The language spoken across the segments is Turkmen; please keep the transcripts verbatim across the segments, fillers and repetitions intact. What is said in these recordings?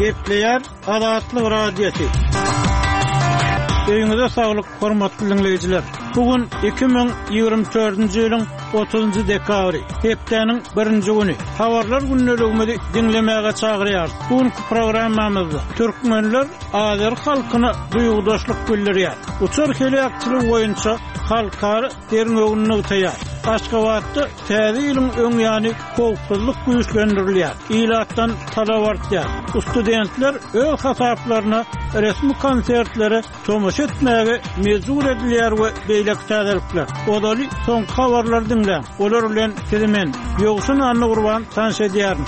Gepleýär Azatlyk Radiosy. Öýüňize saglyk, hormatly diňleýjiler. Bu gün iki müň ýigrimi dördünji ýylyň otuzynjy dekabry, hepdäniň birinji güni. Habarlar gündeligimizi diňlemäge çagyrýarys. Bu günki programmamyzda türkmenler azeri halkyna duýgudaşlyk bildirýär. Uçar heläkçiligi boýunça halkara derňewini nygtaýar. Aşgabatda Täze ýylyň öň ýany howpsuzlyk güýçlendirilýär, ilatdan talap artýar. Studentler öz hasaplaryna resmi konsertlere tomaşa etmäge mejbur edilýär we beýleki täzelikler. Ozaly soňky habarlary diňläň. Olar bilen sizi men, Ýowşan Annagurban tanyş edýärin.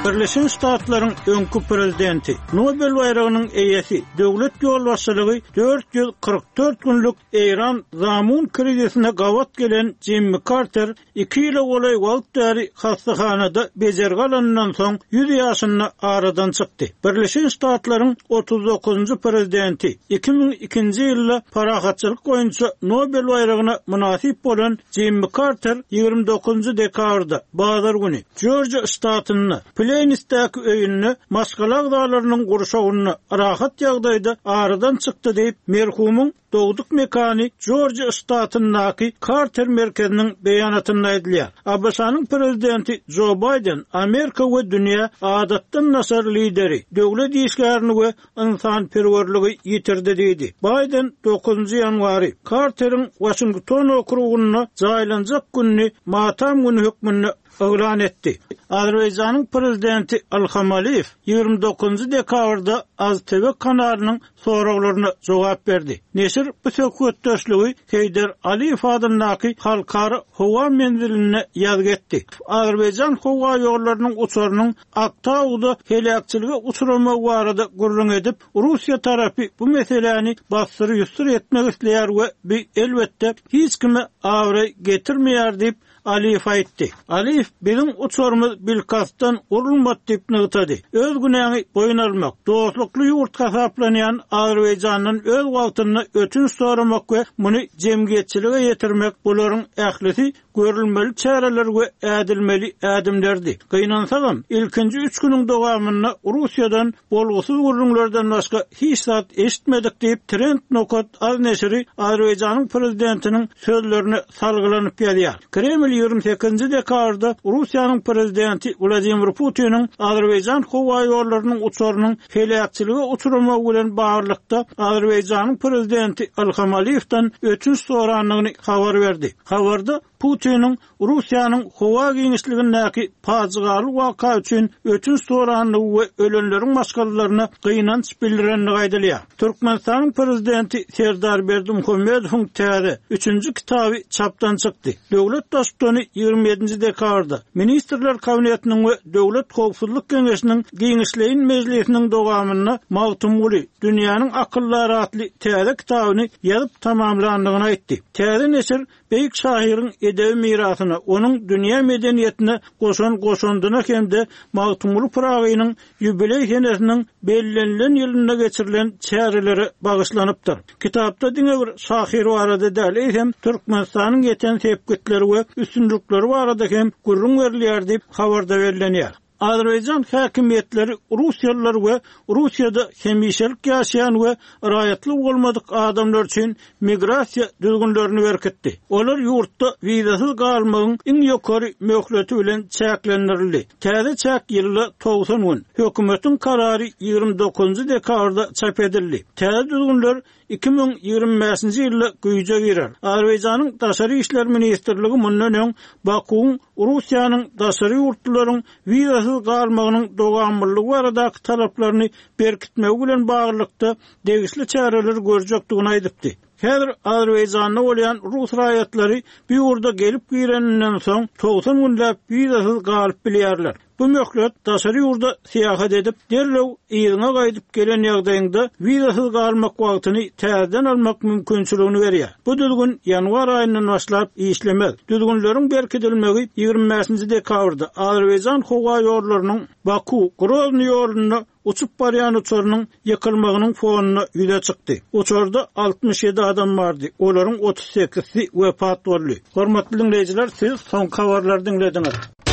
Birleşen Ştatlaryň öňki prezidenti, Nobel baýragynyň eýesi, döwlet ýolbaşçylygy dört ýüz kyrk dört günlük Eýran zamun krizisine gabat gelen Jimmi Karter iki ýyla golaý wagt bäri hassahanada bejergi alanyndan soň ýüz ýaşynda aradan çykdy. Birleşen Ştatlaryň otuz dokuzynjy prezidenti, iki müň ikinji ýylda parahatçylyk boýunça Nobel baýragyna mynasyp bolan Jimmi Karter ýigrimi dokuzynjy dekabrda, bazar güni, Jorjiýa ştatynda, Pleýnsdäki öýünde maşgala agzalarynyň gurşawynda rahat ýagdaýda aradan çykdy diýip, merhumyň dogduk mekany Jorjiýa ştatyndaky Karter merkeziniň beýanatynda aýdylýar. ABŞ-nyň prezidenti Jo Baýden Amerika we dünýä adatdan daşary lideri, döwlet işgärini we ynsanperwerligi ýitirdi diýdi. Baýden dokuzynjy ýanwary Karteriň Waşington okrugynda jaýlanjak gününi matam güni hökmünde yglan etdi. Azerbaýjanyň prezidenti Ilham Aliýew ýigrimi dokuzynjy dekabrda AzTV kanalynyň soraglaryna jogap berdi. Neşir bu söhbetdeşligi Heýder Aliýew adyndaky halkara howa menzilinde ýazgy etdi. Azerbaýjan howa ýollarynyň uçarynyň Aktauda heläkçilige uçramagy barada gürrüň edip, Russiýa tarapy bu meseläni bassyr-ýussur etmek isleýär we bu, elbetde, hiç kime abraý getirmeýär diýip, Aliýew aýtdy. Aliýew biziň uçarymyz bilkastdan urulmady diýip nygtady. Öz günäňi boýun almak, dostlukly ýurt hasaplanýan Azerbaýjandan öz wagtynda ötünç soramak we muny jemgyýetçilige ýetirmek bularyň ählisi görülmeli çäreler we ädilmeli ädimlerdi. Gynansagam, ilkinji üç günüň dowamynda Russiýadan bolgusyz gürrüňlerden başga hiç zat eşitmedik diýip, Trend nokat az neşiri Azerbaýjanyň prezidentiniň sözlerine salgylanyp ýazýar. Kreml ýigrimi sekizinji dekabrda Russiýanyň prezidenti Wladimir Putiniň Azerbaýjan howa ýollarynyň uçarynyň heläkçilige uçramagy bilen baglylykda Azerbaýjanyň prezidenti Ilham Aliýewden ötünç sorandygyny habar berdi. Habarda Putiniň Russiýanyň howa giňişligindäki pajygaly waka üçin ötünç sorandygy we ölenleriň maşgalalaryna gynanç bildirendigi aýdylýar. Türkmenistanyň prezidenti Serdar Berdimuhamedowyň täze, üçünji kitaby çapdan çykdy. Döwlet Baştutany ýigrimi ýedinji dekabrda Ministrler Kabinetiniň we Döwlet howpsuzlyk geňeşiniň giňişleýin mejlisiniň dowamynda Magtymguly, dünýäniň akyldary atly täze kitabyny ýazyp tamamlandygyny aýtdy. Täze neşir Beýik şahyryň edebi mirasyna, onuň dünýä medeniýetine goşan goşandyna hem-de Magtymguly Pyragynyň ýubileý senesiniň bellenilen ýylynda geçirilen çärelere bagyşlanypdyr. Kitapda diňe bir şahyr barada däl, eýsem, Türkmenistanyň ýeten sepgitleri we üstünlikleri barada hem gürrüň berilýär diýip, habarda bellenýär. Azerbaýjan häkimiýetleri russiýalylar we Russiýada hemişelik ýaşaýan we raýatlygy bolmadyk adamlar üçin migrasiýa düzgünlerini berkitdi. Olar ýurtda wizasyz galmagyň iň ýokary möhleti bilen çäklendirildi. Täze çäk ýylda togsan gün. Hökümetiň karary ýigrimi dokuzynjy dekabrda çap edildi. Täze düzgünler iki müň ýigrimi bäşinji ýylda güýje girer. Azerbaýjanyň Daşary işler ministrligi mundan öň Bakuwyň Russiýanyň daşary ýurtlularyň wizasyz galmagynyň dowamlylygy baradaky talaplaryny berkitmegi bilen baglylykda degişli çäreleri görjekdigini aýdypdy. Häzir Azerbaýjanda bolýan rus raýatlary bu ýurda gelip gireninden soň togsan günläp wizasyz galyp bilýärler. Bu möhlet daşary ýurda syýahat edip, derrew yzyňa gaýdyp gelen ýagdaýyňda wizasyz galmak wagtyny täzeden almak mümkinçiligini berýär. Bu düzgün ýanwar aýyndan başlap işlemez. Düzgünleriň berkidilmegi ýigrimi bäşinji dekabrda Azerbaýjan howa ýollarynyň Baku, Groznyý ýolunda uçup barýan uçarynyň ýykylmagynyň fonunda ýüze çykdy. Uçarda altmyş ýedi adam bardy, olaryň otuz sekizsi wepat boldy. Hormatly diňleýjiler, siz soňky habarlary diňlediňiz.